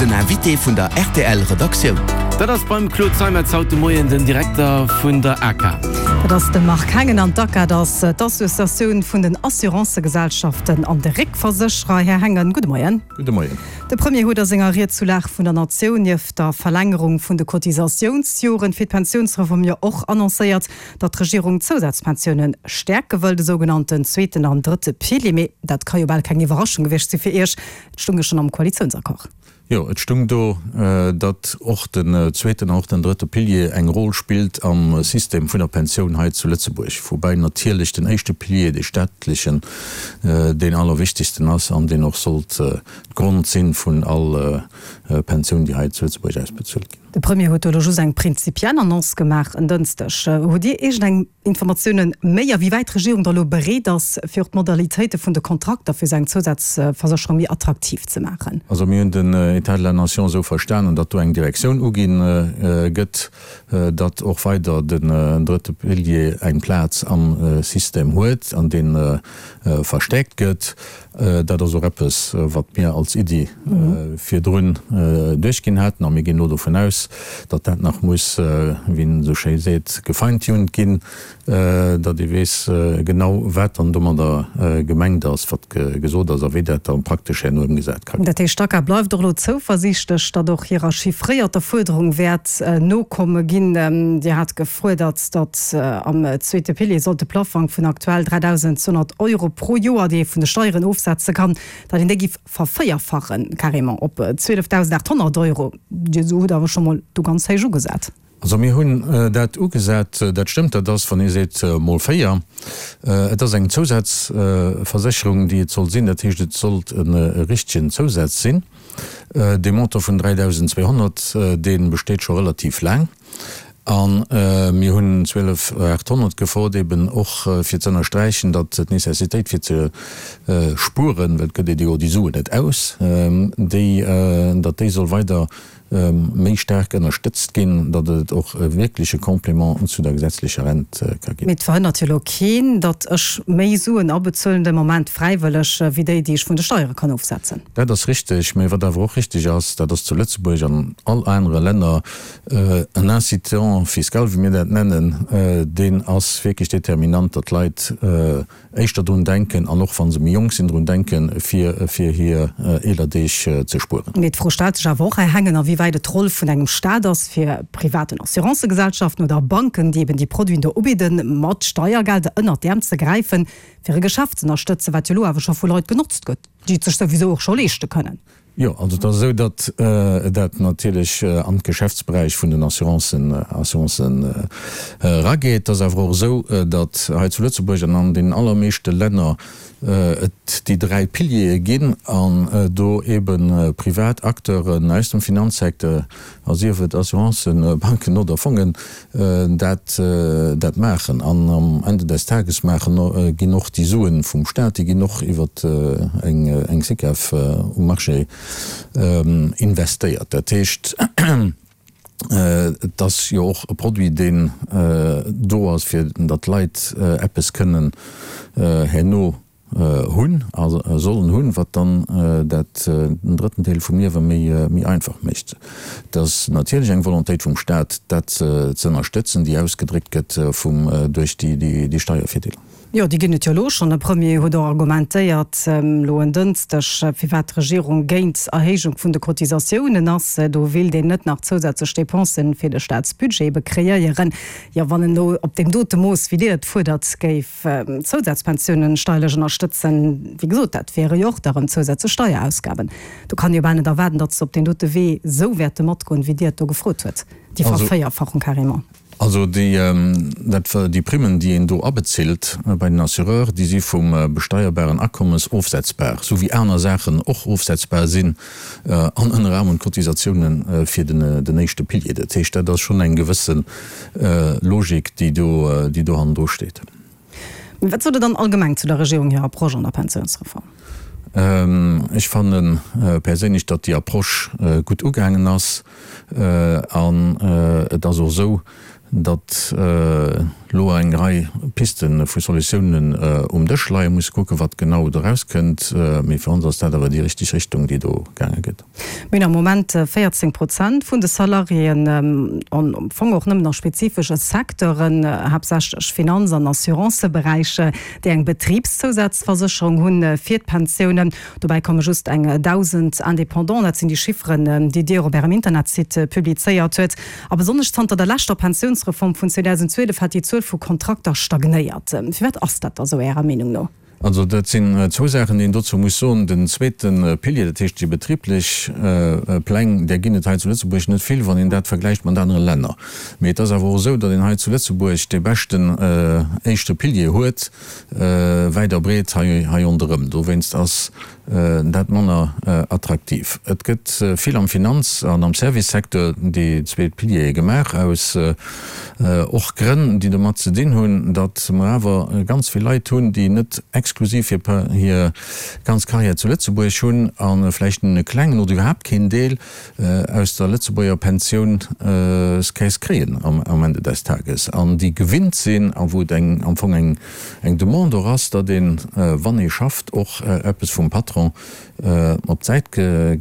Den Invité vun der rtl Redaktioun. Dat ass beim Claude Zeimetz haut de Moien den Direkter vun der ACA. Dat ass de Marc Hengen an d'ACA, dat ass d'Associatioun vun den Assurancëgesellschaften an de Réckversécherer. Här Hengen, gudde Moien. Gudde Moien. De Premier huet a senger Ried zu Lag vun der Natioun nieft der Verlängerung vun de Cotisatiounsjoren fir d'Pensiounsreform jo och annoncéiert, datt d'Regierung d'Zousazpensioune stäerke wëll, de sougenannten zweeten an drëtte Pilier. Mee dat ka jo bal keng Iwwerraschung gewiescht si fir Iech, et stung jo schonn am Koalitiounsaccord. Jo, et stung do, datt och den zweeten an och den drëtte Pilier eng Roll spillt am System vun der Pensioun hei zu Lëtzebuerg, woubäi natierlech den éischte Pilier, dee staatlechen, deen allerwichtigsten ass an deen och sollt d'Grond sinn vun all Pensioun, déi hei zu Lëtzebuerg ausbezuelt ginn. De Premier huet do elo just eng prinzipiell Annonce gemaach en Dënschdeg. Hutt Dir iergendeng Informatiounen méi, a wéi wäit d'Regierung da elo bereet ass, fir och d'Modalitéite vun de Kontrakter fir esou eng Zousazversécherung méi attraktiv ze maachen? Also mir hunn den État de la nation esou verstanen, datt do eng Direktioun ugi gëtt, datt och weider den drëtte Pilier eng Plaz am System huet an dee verstäerkt gëtt. Dat ass och eppes, wat mir als Iddi virdrun duerchginn haten. A mir ginn elo dovun aus, datt dat nach muss, wéi een esou schéi seet, gefeintuned ginn, datt ee weess genau, wat dann domadder gemengt ass, wat gesot ass a wéi dat da praktesch herno ëmgesat ka ginn. Dat heescht, d'ACA bleift och elo zouversiichtlech, datt och hirer chiffréierter Fuerderung wäert nokomme ginn. Dir hat gefuerdert, datt am zweete Pilier sollt de Plaffang vun aktuell 3.200 Euro pro Joer, déi ee vun de Steieren ofsetze kann, datt een déi giff vervéierfachen, carrément op 12.800 Euro. Dir hutt awer scho mol do ganz héich ugesat. Also mir hunn dat ugesat, dat stëmmt, dat ass, wann ee seet mol véier. Et ass eng Zousazversécherung, déi et soll sinn, dat heescht et sollt e richtegen Zousaz sinn. Dee Montant vun 3.200, dee besteet scho relativ laang. A mir hunn 12.800 gefrot, eben och fir ze ënnersträichen, datt d'Nécessitéit fir ze spueren, well et gëtt ee jo déi Suen net aus, déi, datt déi soll weider méi staark ënnerstëtzt ginn, datt et och e wierkleche Complément zu der gesetzlecher Rent ka ginn. Mee et verhënnert jo elo keen, datt ech méi Suen abezuelen de Moment fräiwëlleg, wéi déi, déi ech vun de Steiere kann ofsetzen. Dat ass richteg. Mee wat awer och richteg ass, dat ass zu Lëtzebuerg an all anere Länner en Incitant fiscal, wéi mir dat nennen, deen ass wierklech determinant, datt d'Leit éischter drun denken, an och wa se méi jonk sinn, drun denken, fir fir hir eeler Deeg ze spueren. Mee d'Fro stellt sech awer och, Här Hengen, a wéi wäit et d'Roll vun engem Staat ass, fir privaten Assurancëgesellschaften oder Banken, déi eben déi Produiten do ubidden, mat Steiergelder ënnert d'Äerm ze gräifen, fir e Geschäft z'ënnerstëtzen, wat jo elo awer scho vu Leit genotzt gëtt, déi et sech souwisou och scho leeschte kënnen. Jo, also et ass esou, datt dat natierlech an d'Geschäftsberäich vun den Assurancen, Assurancen erageet. Et ass awer och esou, datt hei zu Lëtzebuerg an an deenen allermeeschte Länner et déi 3 Piliere ginn an do ebe privat Acteuren aus dem Finanzsecteur, a sief et Assurancen, Banken oder Fongen, dat dat maachen. An am Ende des Tages maachen, ginn och déi Suen vum Stat, déi ginn och iwwer eng eng SICAV um Marché investéiert. Dat heescht, et ass jo och e Produit, deen do ass, fir datt d'Leit eppes kënnen herno hunn a sollen hunn, wat dann dat den drëtten Deel vum Liewe méi einfach mécht. Et ass natierlech eng Volontéit vum Stat, dat ze ënnerstëtzen, déi ausgedréckt gëtt vum duerch déi Steiervirdeeler. Jo, déi ginn et jo elo schonn. De Premier huet och argumentéiert elo en Dënschdeg, firwat d'Regierung géint Erhéijung vun de Cotisatiounen ass. Do wéilt een net nach zousätzlech Dépensen fir de Staatsbudget ebe kreéieren. Jo, wann en elo op deem dote Mooss, wéi Dir et fuerdert, géif D'Zousazpensiounen steierlech ënnerstëtzen, wéi gesot, dat wiere jo och da rëm zousätzlech Steierausgaben. Do kann ee jo bal net erwaarden, datt se op deen dote Wee esou wäerte matgoen, wéi Dir et do gefrot huet, déi Vervéierfachung carrément. Also déi, dat, déi Primmen, déi een do abezilt bei den Assureur, déi si vum besteierbaren Akommes ofsetzbar, esou wéi aner Saachen och ofsetzbar sinn an ënner anerem d'Cotisatiounen fir den, den éischte Pilier. Dat heescht, dat ass schonn eng gewësse Logik, déi do, déi do hannendru steet. Mee wat sot Der dann allgemeng zu der Regierung hir Approche an der Pensiounsreform? Ech fanne perséinlech, datt déi Approche gutt ugaangen ass. An et ass och esou, datt elo eng Rei Piste vu Solutiounen um Dësch leien. Mir musse kucken, wat genau do erauskënnt. Mee fir ons ass dat awer déi richteg Richtung, déi do gaange gëtt. Mir hunn am Moment 14 Prozent vun de Salariéen, an am Fong och nëmmen a spezifesche Secteuren, haaptsächlech Finanz an Assuranceberäich, déi eng Betribszousazversécherung hunn fir d'Pensiounen. Dobäi komme just eng 1.000 Indépendants. Dat sinn déi Chifferen, déi Dir op Ärem Internetsite publizéiert huet. A besonnesch zanter der leschter Pensiounsreform vun 2012 hätt déi Zuel vu Kontrakter stagnéiert. Firwat ass dat da sou Ärer Meenung no? Also dat sinn zwou Saachen, déi een dozou muss soen. Den zweete Pilier, dat heescht déi betriblech Pläng, där ginn et hei zu Lëtzebuerg net vill, wann een dat vergläicht mat anere Länner. Mee et ass awer och esou, datt een hei zu Lëtzebuerg dee beschten éischte Pilier huet, wäit a breet hei ronderëm. Dowéinst ass dat manner attraktiv. Et gëtt vill am Finanz an am Servicesecteur déi zweet Piliere gemaach, aus och Grënn, déi domat ze dinn hunn, datt mer awer ganz vill Leit hunn, déi net exklusiv hir ganz Carrière zu Lëtzebuerg hunn a vläicht nëmmen e klengen oder iwwerhaapt keen Deel aus der Lëtzebuerger Pensiounscaisse kréien am Ende des Tages an déi gewinnt sinn a wou et eng am Fong eng eng Demande och ass, datt een, wann ee schafft, och eppes vum Patron op d'Säit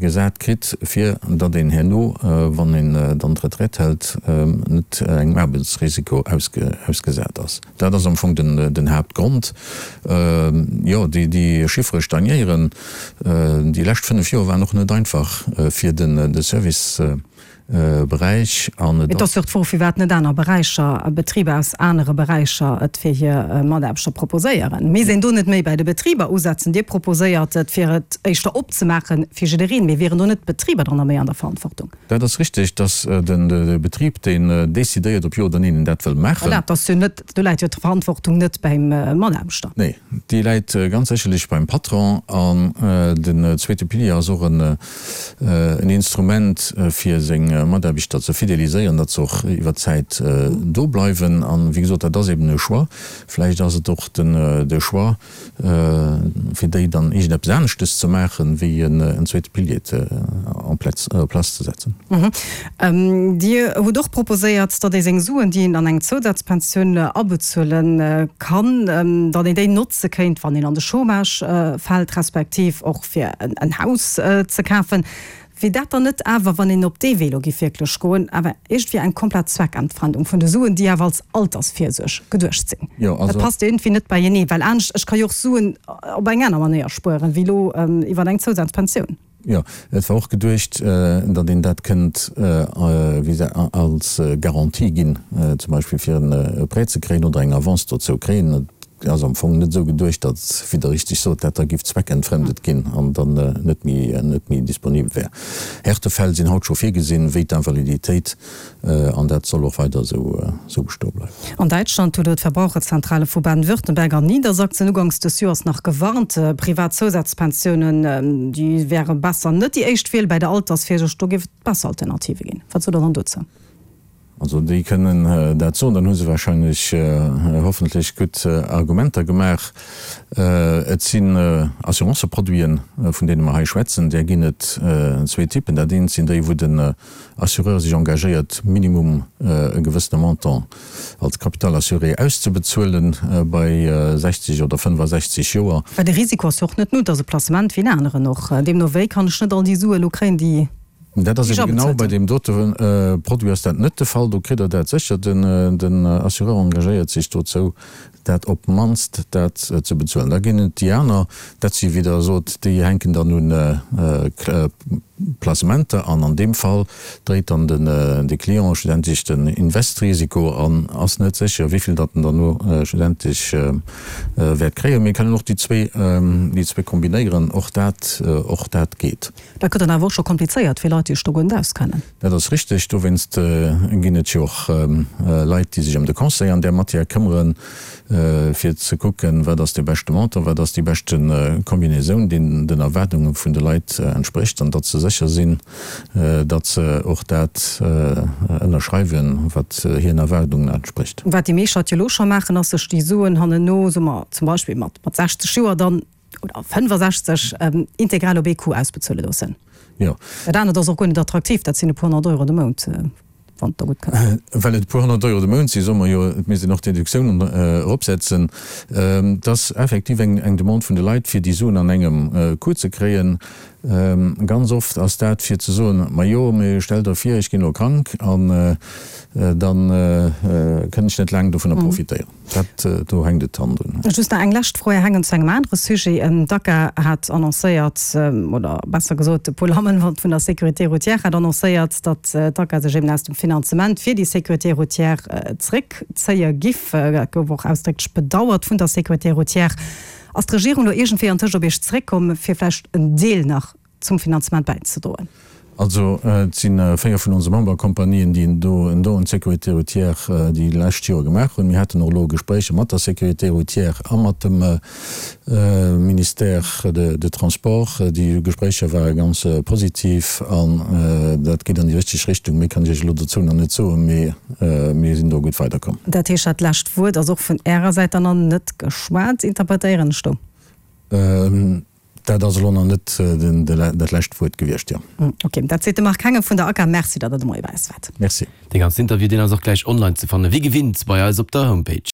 gesat kritt, fir datt een herno, wann een dann d'Retraite hält, net engem Aarbechtsrisiko ausgesat ass. Dat ass am Fong den Haaptgrond. Jo, déi Chiffere stagnéieren. Déi lescht 5 Joer waren och net einfach fir de Serviceberäich. An et ass jo och d'Fro, firwat net aner Beräicher, Betriber aus anere Beräicher et fir hir Mataarbechter proposéieren. Misst een do net méi bäi de Betriber usetzen? Dir proposéiert et, fir et éischter opzemaache fir jiddereen. Mee wieren do net d'Betriber dann da méi an der Verantwortung? Dat ass richteg, dass de Betrib, deen decidéiert, ob jo oder neen en dat wëll maachen. Voilà, dat ass jo net, do läit jo d'Verantwortung net beim Mataarbechter. Nee, déi läit ganz sécherlech beim Patron. An den zweete Pilier ass och en Instrument, fir seng Mataarbechter ze fideliséieren, datt se och iwwer d'Zäit do bleiwen. An, wéi gesot, dat ass eben e Choix. Vläicht ass et och de Choix, fir déi dann iergendeppes aneschtes ze maachen, wéi en zweete Pilier en place ze setzen. Dir hutt och proposéiert, datt ee seng Suen, déi een an eng Zousazpensioun abezuele kann, datt een déi notze kéint, wann een an de Chômage fält, respektiv och fir en Haus ze kafen. Wier dat dann net awer, wann een op dee Wee elo giff wierklech goen, awer iergendwéi eng komplett Zweckentfremdung vun de Suen, déi awer als Altersvirsuerg geduecht sinn? Dat passt iergendwéi net beienee, well anescht, ech ka jo och Suen op eng aner Manéier spueren, wéi elo iwwer eng Zousazpensioun. Jo, et war och geduecht, datt een dat kënnt als Garantie ginn, zum Beispill fir e Prêt ze kréien oder eng Avance dozou kréien. Et ass am Fong net esou geduecht, datt, wéi Der richteg sot, dat da giff zweckentfremdet ginn an dann net méi, net méi disponibel wär. Härtefäll sinn haut scho virgesinn, wéi d'Invaliditéit, an dat soll och weider esou, esou bestoe bleiwen. An Däitschland huet elo d'Verbraucherzentrale vu Baden-Württemberg an Niedersachsen uganks dës Joers nach gewarnt, privat Zousazpensiounen, déi wäre besser net déi éischt Wiel bäi der Altersvirsuerg, do géif et besser Alternative ginn. Wat sot Der dann dozou? Also déi kënnen dat soen, dann hu se wahrscheinlech hoffentlech gutt Argumenter gemaach. Et sinn Assuranceproduiten, vun deene mer hei schwätzen. Där ginn et zwee Typen. Dat eent sinn déi, wou den Assureur sech engagéiert, minimum e gewëssene Montant als Capital assuré auszebezuelen bei 60 oder 65 Joer. Well de Risiko ass jo och net null, et ass e Placement wéi en aneren och. Deemno wéi kann ech net all déi Sue elo kréien, déi. Dat ass ebe genau bei deem dote Produit ass dat net de Fall. Do kritt Der dat sécher. Den Assureur engagéiert sech dozou, dat op d'mannst dat ze bezuelen. Da ginn et déi aner, dat si wéi Der sot, déi hänken dann un Placementer an an deem Fall dréit dann de Client schlussendlech den Investrisiko an ass net sécher, wéi vill datt en dann elo schlussendlech wäert kréien. Mir kënnen och déi zwee kombinéieren, och dat, och dat geet. Dat gëtt dann awer och scho komplizéiert fir Leit, déi sech do guer net auskennen. Dat ass richteg. Dowéinst ginn et jo och Leit, déi sech ëm de Conseil an där Matière këmmeren, fir ze kucken, wat ass dee beschte Montant, wat ass déi beschte Kombinaisoun, déi den Erwaardunge vun de Leit entsprécht, an datt se sécher sinn, datt se och dat ënnerschreiwen, wat hiren Erwaardungen entsprécht. Wat déi meescht Leit jo elo scho maachen, ass sech déi Suen hannenno, soe mer zum Beispill mat 60 Joer dann, oder 65 integral op ee Coup ausbezuele loossen. Jo. Dat anert ass och guer net attraktiv, dat sinn e puer 100 Euro de Mount. Wann et der gutt kënnt. Well et e puer 100 Euro de Mount sinn, soe mer jo, et misst een och d'Déductiounen eropsetzen. Et ass effektiv eng Demande vun de Leit, fir déi Suen an engem Coup ze kréien. Ganz oft ass dat fir ze soen, Majo, mee stell der vir, ech ginn elo krank an da kënn ech net laang dovunner profitéieren. Dat, do hänkt et dann drun. Just nach eng lescht Fro, Här Hengen, zu engem anere Sujet. D'ACA hat annoncéiert, oder besser gesot, de Paul Hammelmann vun der Sécurité routière hat annoncéiert, datt d'ACA sech eben aus dem Finanzement fir déi Sécurité routière zréckzéie giff. Dat gouf och ausdrécklech bedauert vun der Sécurité routière. Ass d'Regierung elo iergendwéi antëscht op Iech zeréckkomm, fir vläicht en Deel nach zum Finanzement bäizedroen? Also et si 4 vun onse Memberkompanien, déi do en Don un d'Sécurité routière déi lescht Jore gemaach hunn. Mir haten och elo Gespréicher mat der Sécurité routière a mat dem Ministère de Transports. Déi Gespréicher ware ganz positiv an dat geet an déi richteg Richtung. Méi kann ech Iech elo dozou nach net soen, mee mir sinn do gutt weiderkomm. Dat heescht, dat lescht Wuert ass och vun Ärer Säit dann nach net geschwat, interpretéieren ech do? Dat ass elo nach net dat lescht Wuert gewiescht, jo. Ok, dat seet de Marc Hengen vun der ACA. Merci, datt Der de Moie bei eis waart. Merci. Dee ganzen Interview, deen ass och gläich online ze fannen, wéi gewinnt bei eis op der Homepage.